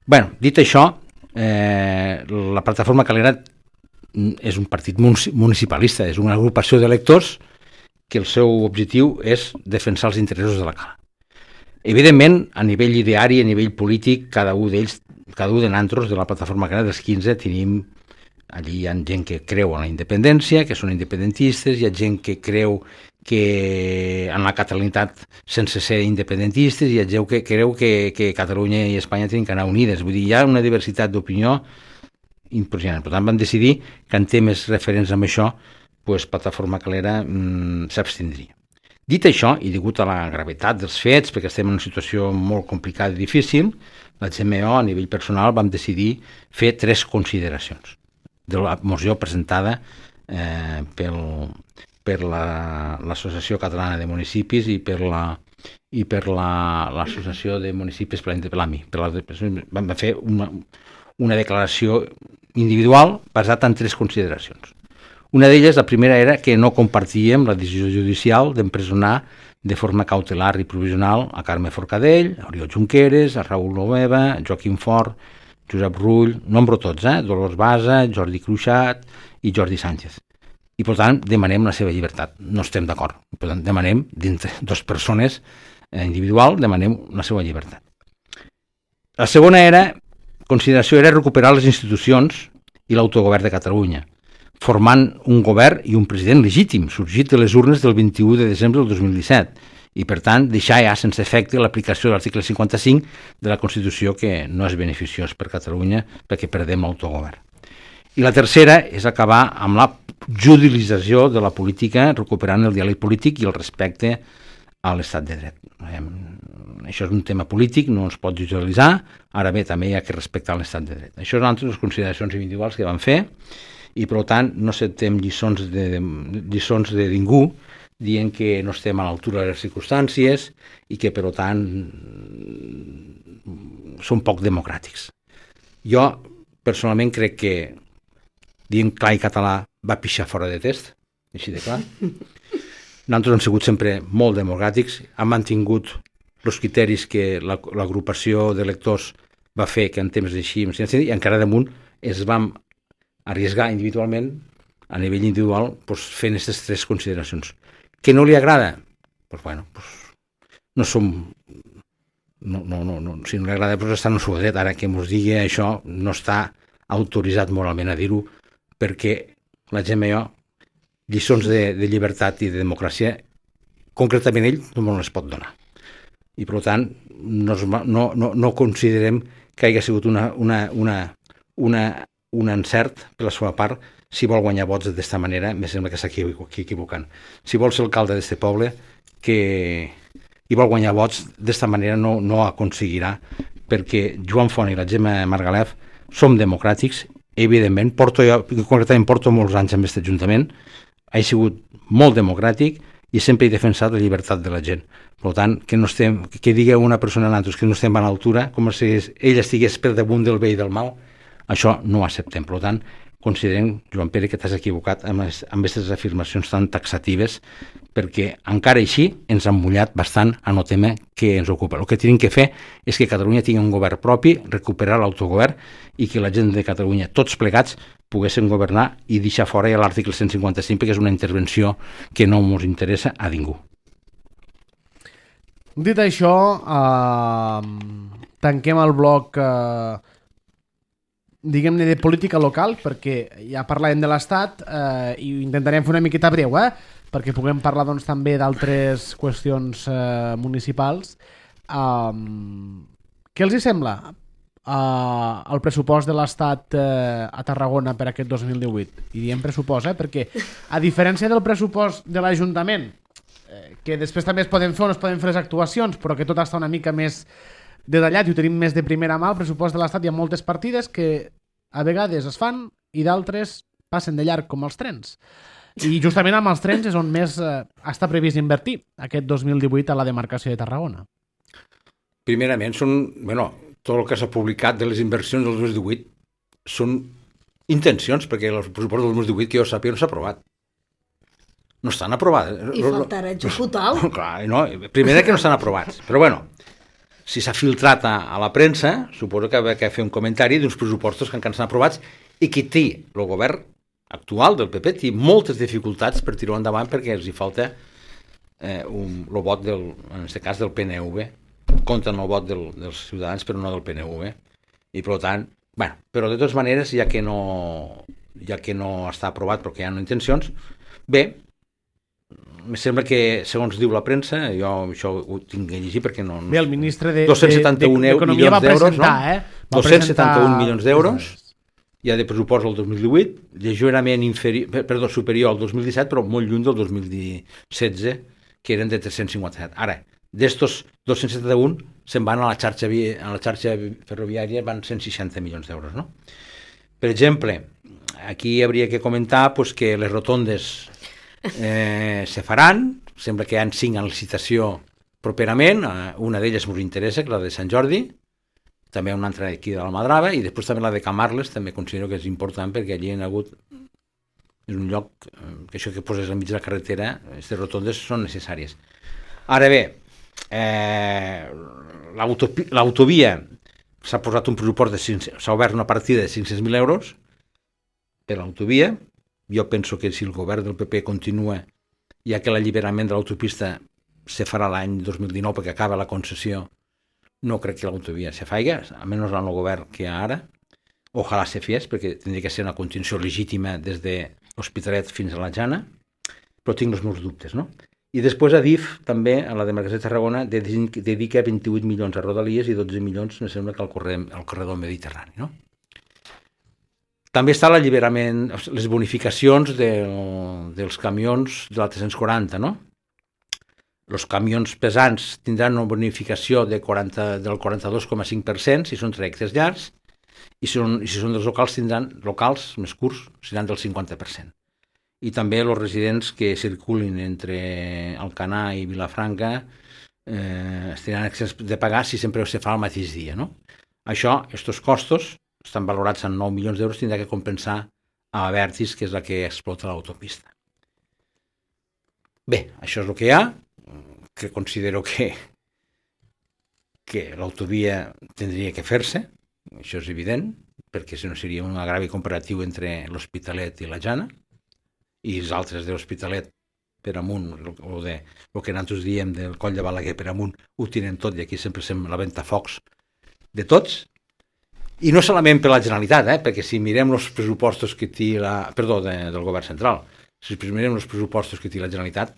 [SPEAKER 2] Bé, dit això, eh, la plataforma Calera és un partit municipalista, és una agrupació d'electors que el seu objectiu és defensar els interessos de la Cala. Evidentment, a nivell ideari, a nivell polític, cada un d'ells cada un de nosaltres de la plataforma Calera dels quinze tenim, allí hi ha gent que creu en la independència, que són independentistes, hi ha gent que creu que en la catalanitat sense ser independentistes, hi ha gent que creu que, que Catalunya i Espanya tenen que anar unides. Vull dir, hi ha una diversitat d'opinió impressionant. Per tant, van decidir que en temes referents amb això, pues, plataforma Calera mmm, s'abstindria. Dit això, i degut a la gravetat dels fets, perquè estem en una situació molt complicada i difícil, la G M O, a nivell personal, vam decidir fer tres consideracions de la moció presentada eh, pel, per l'Associació la, Catalana de Municipis i per la i per l'Associació la, de Municipis per l'AMI. Per la, vam fer una, una declaració individual basada en tres consideracions. Una d'elles, la primera, era que no compartíem la decisió judicial d'empresonar de forma cautelar i provisional a Carme Forcadell, a Oriol Junqueras, a Raül Loveva, a Joaquim Fort, Josep Rull, nombro tots, eh? Dolors Basa, Jordi Cruixat i Jordi Sánchez. i per tant demanem la seva llibertat. No estem d'acord. Per tant, demanem, dintre dues persones individual, demanem la seva llibertat. La segona era, consideració era recuperar les institucions i l'autogovern de Catalunya, formant un govern i un president legítim, sorgit de les urnes del vint-i-u de desembre del dos mil disset, i per tant deixar ja sense efecte l'aplicació de l'article cinquanta-cinc de la Constitució, que no és beneficiós per Catalunya perquè perdem l'autogovern. I la tercera és acabar amb la judicialització de la política, recuperant el diàleg polític i el respecte a l'estat de dret. Això és un tema polític, no es pot judicialitzar, ara bé, també hi ha que respectar l'estat de dret. Això són altres consideracions individuals que van fer, i per tant no acceptem lliçons de, de, lliçons de ningú dient que no estem a l'altura de les circumstàncies i que per tant són poc democràtics. Jo personalment crec que dient clar i català va pixar fora de test, així de clar. Nosaltres hem sigut sempre molt democràtics, hem mantingut els criteris que l'agrupació de lectors va fer, que en temps d'així, i encara damunt es vam arriesgar individualment, a nivell individual, pues, fent aquestes tres consideracions. Que no li agrada? Pues, bueno, pues, no som... No, no, no, no. Si no li agrada, pues, està en el seu dret. Ara que ens digui això, no està autoritzat moralment a dir-ho, perquè la gent jo, lliçons de, de llibertat i de democràcia, concretament ell, no les pot donar. I, per tant, no, no, no, no considerem que hagi sigut una, una, una, una, un encert per la seva part si vol guanyar vots d'aquesta manera. Em sembla que s'està equivocant. Si vol ser alcalde d'aquest poble que i vol guanyar vots d'aquesta manera no, no aconseguirà, perquè Joan Font i la Gemma Margalef som democràtics, evidentment, porto jo, concretament porto molts anys amb aquest ajuntament, ha sigut molt democràtic i sempre he defensat la llibertat de la gent. Per tant, que no estem, que digui una persona a nosaltres que no estem a l'altura, com si ell estigués per damunt del bé i del mal, això no ho acceptem. Per tant, considerem, Joan Pere, que t'has equivocat amb aquestes afirmacions tan taxatives, perquè encara així ens han mullat bastant en el tema que ens ocupa. El que tenim que fer és que Catalunya tingui un govern propi, recuperar l'autogovern i que la gent de Catalunya, tots plegats, poguessin governar i deixar fora ja l'article cent cinquanta-cinc, perquè és una intervenció que no ens interessa a ningú.
[SPEAKER 1] Dit això, eh, tanquem el bloc eh, diguem-ne de política local, perquè ja parlàvem de l'Estat eh, i intentarem fer una miqueta breu, eh, perquè puguem parlar doncs, també d'altres qüestions eh, municipals. Um, què els hi sembla uh, el pressupost de l'Estat uh, a Tarragona per aquest dos mil divuit? I diem pressupost, eh, perquè a diferència del pressupost de l'Ajuntament, eh, que després també es poden fer o no es poden fer les actuacions, però que tot està una mica més detallat i ho tenim més de primera mà, el pressupost de l'Estat hi ha moltes partides que a vegades es fan i d'altres passen de llarg com els trens. I justament amb els trens és on més eh, està previst invertir aquest dos mil divuit a la demarcació de Tarragona.
[SPEAKER 2] Primerament, són, bueno, tot el que s'ha publicat de les inversions del dos mil divuit són intencions, perquè el pressupost del dos mil divuit, que jo sàpiga, no s'ha aprovat. No estan aprovades.
[SPEAKER 3] I faltarà executar-ho.
[SPEAKER 2] Clar, no, primer que no estan aprovats. Però bueno, si s'ha filtrat a, a la premsa, suposo que ha de fer un comentari d'uns pressupostos que encara estan aprovats i que té el govern actual del P P té moltes dificultats per tirar endavant perquè els hi falta eh, un, el vot del, en aquest cas del P N V, compten el vot del, dels ciutadans però no del P N V, i per tant, bueno, però de totes maneres, ja que no ja que no està aprovat però que hi ha intencions, bé, em sembla que segons diu la premsa, jo això ho tinc que llegir perquè no... no
[SPEAKER 1] bé, el ministre de,
[SPEAKER 2] dos-cents setanta-un
[SPEAKER 1] d'Economia va presentar, no? eh? Va
[SPEAKER 2] dos-cents setanta-un milions d'euros hi ha de pressupost el dos mil divuit, lleugerament inferior, perdó, superior al dos mil disset, però molt lluny del dos mil setze, que eren de tres-cents cinquanta-set. Ara, d'estos dos-cents setanta-un se'n van a la xarxa, a la xarxa ferroviària, van cent seixanta milions d'euros, no? Per exemple, aquí hauria que comentar pues, que les rotondes eh, se faran, sembla que hi ha cinc en licitació properament, una d'elles ens interessa, que la de Sant Jordi, també una altra aquí de l'Almadrava, i després també la de Camarles, també considero que és important perquè allí hi ha hagut, és un lloc que això que poses al mig de la carretera, aquestes rotondes són necessàries. Ara bé, eh, l'autovia s'ha posat un pressupost de s'ha obert una partida de cinc-cents mil euros per l'autovia, jo penso que si el govern del P P continua, ja que l'alliberament de l'autopista se farà l'any dos mil dinou perquè acaba la concessió, no crec que l'autovia se faiga, almenys en el govern que hi ha ara. Ojalà se fes, perquè tindria que ser una continuació legítima des de l'Hospitalet fins a la Jana, però tinc els meus dubtes, no? I després a D I F, també, a la demarcació de Tarragona, dedica vint-i-vuit milions a Rodalies i dotze milions, me sembla, que al corredor, al corredor mediterrani, no? També està l'alliberament, les bonificacions de, dels camions de la tres-cents quaranta, no? Els camions pesants tindran una bonificació de quaranta, del quaranta-dos coma cinc per cent si són trajectes llargs, i si són, i si són dels locals, tindran locals més curts, seran del cinquanta per cent. I també els residents que circulin entre Alcanar i Vilafranca eh, estaran exempts de pagar si sempre se fa el mateix dia, no? Això, aquests costos, estan valorats en nou milions d'euros, tindrà que compensar a Abertis, que és la que explota l'autopista. Bé, això és el que hi ha, que considero que, que l'autovia tindria que fer-se, això és evident, perquè si no seria un agravi comparatiu entre l'Hospitalet i la Jana, i els altres de l'Hospitalet per amunt, o de, el que nosaltres diem del Coll de Balaguer per amunt, ho tenen tot, i aquí sempre sem la ventafocs de tots. I no solament per la Generalitat, eh? Perquè si mirem els pressupostos que té la... Perdó, de, del govern central. Si mirem els pressupostos que té la Generalitat,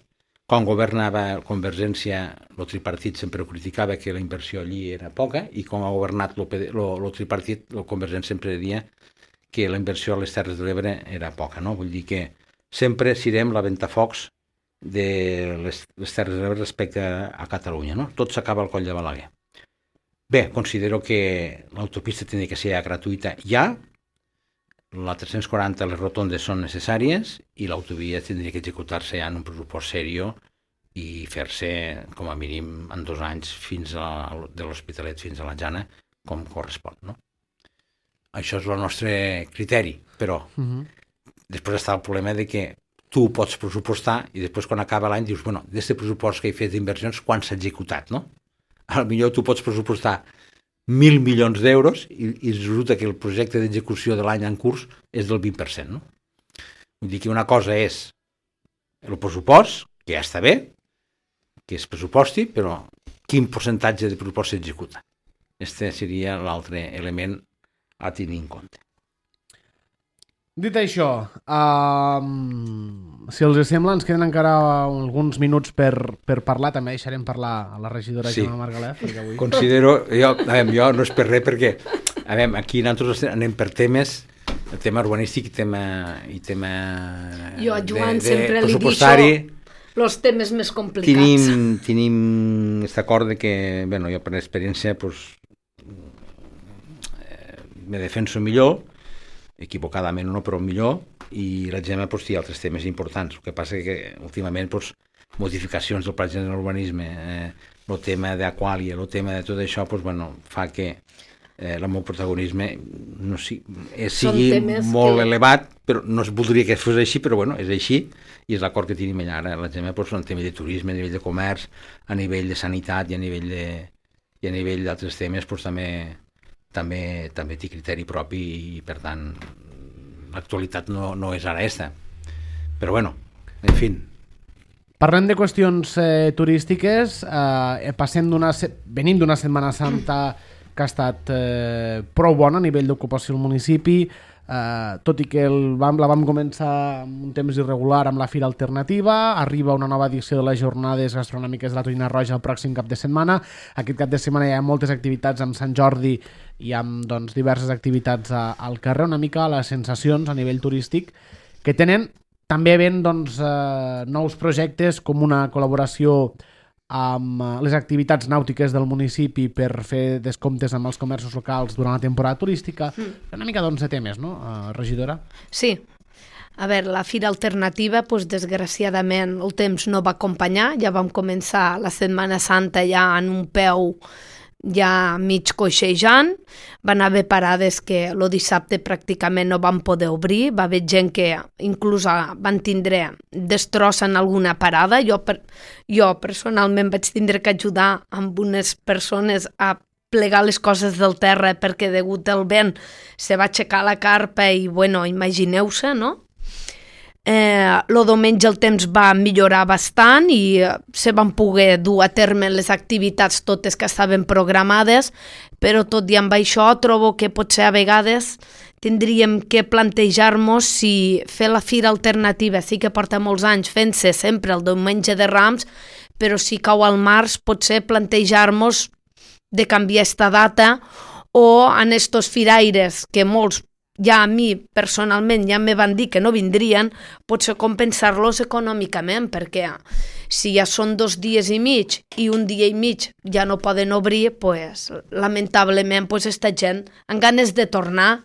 [SPEAKER 2] quan governava Convergència, el tripartit sempre ho criticava que la inversió allí era poca, i quan ha governat el tripartit, el Convergència sempre deia que la inversió a les Terres de l'Ebre era poca, no? Vull dir que sempre serem la ventafocs de les, les Terres de l'Ebre respecte a Catalunya, no? Tot s'acaba al Coll de Balaguer. Bé, considero que l'autopista tindria que ser gratuïta ja, la tres-cents quaranta, les rotondes són necessàries, i l'autovia tindria que executar-se ja en un pressupost seriós i fer-se, com a mínim, en dos anys fins a, de l'Hospitalet fins a la Jana, com correspon, no? Això és el nostre criteri, però uh-huh. Després està el problema de que tu pots pressupostar i després quan acaba l'any dius, bueno, d'aquest pressupost que he fet d'inversions, quan s'ha executat, no? A millor tu pots pressupostar mil milions d'euros i, i resulta que el projecte d'execució de l'any en curs és del vint per cent, no? Vull dir que una cosa és el pressupost, que ja està bé, que es pressuposti, però quin percentatge de pressupost s'executa? Este seria l'altre element a tenir en compte.
[SPEAKER 1] Dit això, uh, si els sembla, ens queden encara alguns minuts per, per parlar. També deixarem parlar a la regidora sí. Gemma Margalef. Avui...
[SPEAKER 2] Considero, jo, a veure, jo no és per res, perquè a veure, aquí nosaltres anem per temes, el tema urbanístic i tema, i tema
[SPEAKER 3] jo, Joan,
[SPEAKER 2] de, de
[SPEAKER 3] sempre
[SPEAKER 2] pressupostari.
[SPEAKER 3] Els temes més complicats.
[SPEAKER 2] Tenim, tenim aquest acord de que, bueno, jo per experiència, pues, eh, me defenso millor, equivocadament o no, però millor, i la Gemma pues, té altres temes importants. El que passa és que últimament pues, modificacions del pla general d'urbanisme, eh, el tema d'Aquàlia, el tema de tot això, pues, bueno, fa que eh, el meu protagonisme no si, eh, sigui molt que... elevat, però no es voldria que fos així, però bueno, és així, i és l'acord que tenim allà ara. La Gemma pues, en tema de turisme, a nivell de comerç, a nivell de sanitat i a nivell de i a nivell d'altres temes pues, també també també té criteri propi i per tant l'actualitat no, no és ara aquesta, però bueno, en fi.
[SPEAKER 1] Parlem de qüestions eh, turístiques, eh, passem d'una venim d'una Setmana Santa que ha estat eh, prou bona a nivell d'ocupació al municipi, eh, tot i que el vam, la vam començar amb un temps irregular amb la Fira Alternativa, arriba una nova edició de les jornades gastronòmiques de la Tonyina Roja el pròxim cap de setmana. Aquest cap de setmana hi ha moltes activitats amb Sant Jordi i amb doncs, diverses activitats a, al carrer, una mica les sensacions a nivell turístic que tenen també ben doncs, eh, nous projectes com una col·laboració amb les activitats nàutiques del municipi per fer descomptes amb els comerços locals durant la temporada turística. Mm. Una mica doncs, de temes, no, uh, regidora?
[SPEAKER 3] Sí. A veure, la Fira Alternativa, doncs, desgraciadament, el temps no va acompanyar. Ja vam començar la Setmana Santa ja en un peu ja mig coixejant. Van haver parades que el dissabte pràcticament no van poder obrir. Va haver gent que inclús van tindre destrossa en alguna parada. Jo, per, jo personalment vaig tindre que ajudar amb unes persones a plegar les coses del terra perquè degut al vent se va aixecar la carpa i, bueno, imagineu-se, no? Eh, lo diumenge el temps va millorar bastant i eh, se van poder dur a terme les activitats totes que estaven programades, però tot i amb això trobo que potser a vegades tindríem que plantejar-nos si fer la fira alternativa, sí que porta molts anys fent-se sempre el diumenge de Rams, però si cau al març potser plantejar-nos de canviar esta data o en estos firaires que molts ja a mi personalment ja me van dir que no vindrien, potser compensar-los econòmicament, perquè si ja són dos dies i mig i un dia i mig ja no poden obrir, pues, lamentablement pues, esta gent amb ganes de tornar,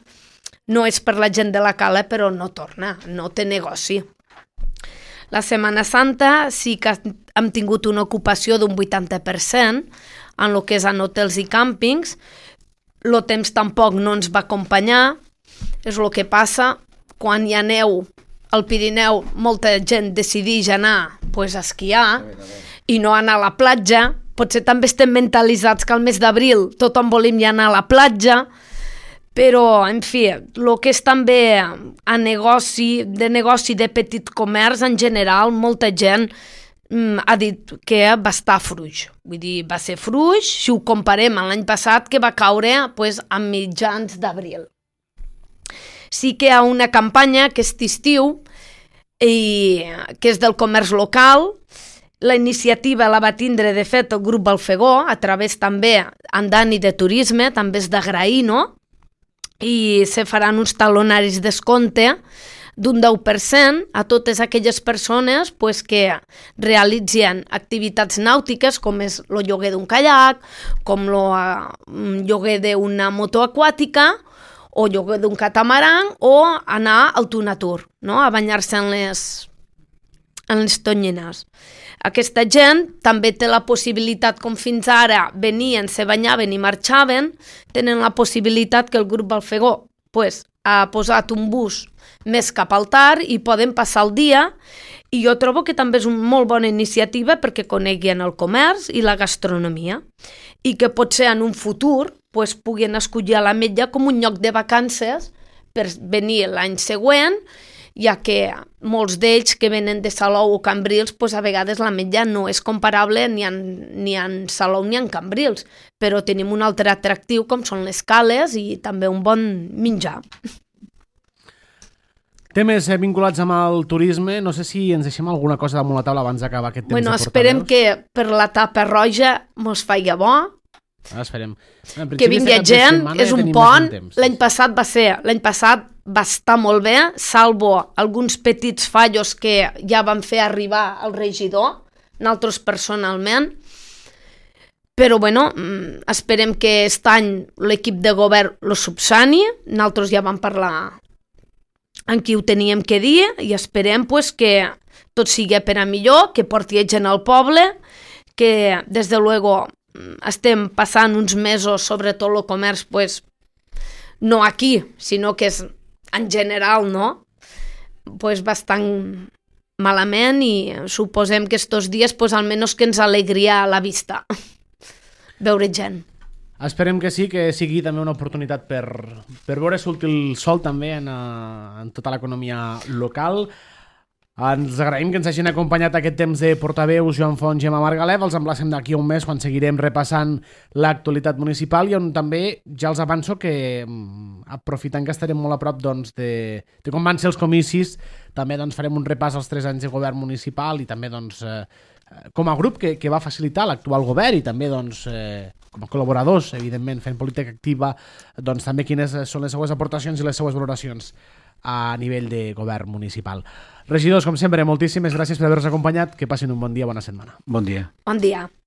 [SPEAKER 3] no és per la gent de la cala, però no torna, no té negoci. La Setmana Santa sí que hem tingut una ocupació d'un vuitanta per cent en el que és en hotels i càmpings, el temps tampoc no ens va acompanyar. És el que passa quan hi ha neu al Pirineu, molta gent decideix anar pues, a esquiar i no anar a la platja. Potser també estem mentalitzats que al mes d'abril tothom volim ja anar a la platja, però, en fi, el que és també a negoci, de negoci de petit comerç en general, molta gent mm, ha dit que va estar fluix. Vull dir, va ser fluix si ho comparem amb l'any passat, que va caure pues, a mitjans d'abril. Sí que hi ha una campanya que és estiu i que és del comerç local. La iniciativa la va tindre, de fet, el grup Balfegó, a través també en Dani de Turisme, també és d'agrair, no? I se faran uns talonaris descompte d'un deu per cent a totes aquelles persones pues, que realitzen activitats nàutiques, com és el lloguer d'un caiac, com el uh, lloguer d'una moto aquàtica, o lloguer d'un catamaran, o anar al Tunatur, no? A banyar-se en les, en les tonyines. Aquesta gent també té la possibilitat, com fins ara venien, se banyaven i marxaven, tenen la possibilitat que el grup Balfegó pues, ha posat un bus més cap al tard i poden passar el dia, i jo trobo que també és una molt bona iniciativa perquè coneguin el comerç i la gastronomia, i que potser en un futur pues, puguin escollir a l'Ametlla com un lloc de vacances per venir l'any següent, ja que molts d'ells que venen de Salou o Cambrils, pues, a vegades l'Ametlla no és comparable ni en, ni en Salou ni en Cambrils, però tenim un altre atractiu com són les cales i també un bon menjar.
[SPEAKER 1] Temes vinculats amb el turisme, no sé si ens deixem alguna cosa damunt la taula abans d'acabar aquest temps
[SPEAKER 3] bueno,
[SPEAKER 1] de portaveus.
[SPEAKER 3] Esperem que per la tapa roja mos faig bo,
[SPEAKER 1] ah, esperem.
[SPEAKER 3] que vingui gent, és un pont, l'any passat va ser, l'any passat va estar molt bé, salvo alguns petits fallos que ja van fer arribar al regidor, nosaltres personalment, però bueno, esperem que aquest any l'equip de govern lo subsani, nosaltres ja vam parlar amb qui ho teníem que dir i esperem pues, que tot sigui per a millor, que porti gent al poble, que des de luego estem passant uns mesos, sobretot el comerç, pues, no aquí, sinó que és en general, no? Pues bastant malament i suposem que estos dies, pues, almenys que ens alegria a la vista veure gent.
[SPEAKER 1] Esperem que sí, que sigui també una oportunitat per, per veure sortir el sol també en, en tota l'economia local. Ens agraïm que ens hagin acompanyat aquest temps de portaveus Joan Font i Gemma Margalef. Els emplacem d'aquí a un mes quan seguirem repassant l'actualitat municipal i on també ja els avanço que, aprofitant que estarem molt a prop doncs, de, de com van ser els comicis, també doncs, farem un repàs als tres anys de govern municipal i també doncs, eh, com a grup que, que va facilitar l'actual govern i també doncs, eh, com a col·laboradors, evidentment, fent política activa, doncs, també quines són les seues aportacions i les seues valoracions a nivell de govern municipal. Regidors, com sempre, moltíssimes gràcies per haver-nos acompanyat. Que passin un bon dia, bona setmana.
[SPEAKER 2] Bon dia.
[SPEAKER 3] Bon dia.